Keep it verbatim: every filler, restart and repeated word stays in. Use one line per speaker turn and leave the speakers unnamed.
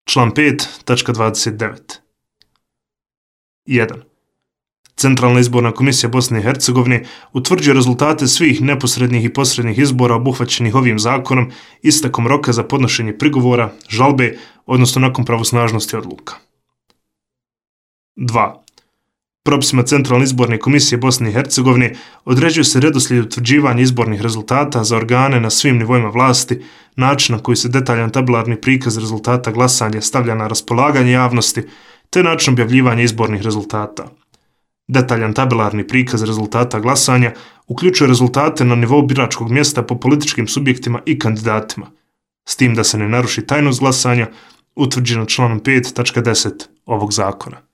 Član pet, tačka dvadeset devet. jedan. Centralna izborna komisija Bosne i Hercegovine utvrđuje rezultate svih neposrednih i posrednih izbora obuhvaćenih ovim zakonom istekom roka za podnošenje prigovora, žalbe, odnosno nakon pravosnažnosti odluka. dva. Propisima Centralne izborne komisije Bosne i Hercegovine određuje se redoslijed utvrđivanja izbornih rezultata za organe na svim nivoima vlasti, način na koji se detaljan tabelarni prikaz rezultata glasanja stavlja na raspolaganje javnosti, te način objavljivanja izbornih rezultata. Detaljan tabelarni prikaz rezultata glasanja uključuje rezultate na nivou biračkog mjesta po političkim subjektima i kandidatima, s tim da se ne naruši tajnost glasanja utvrđeno članom pet tačka deset ovog zakona.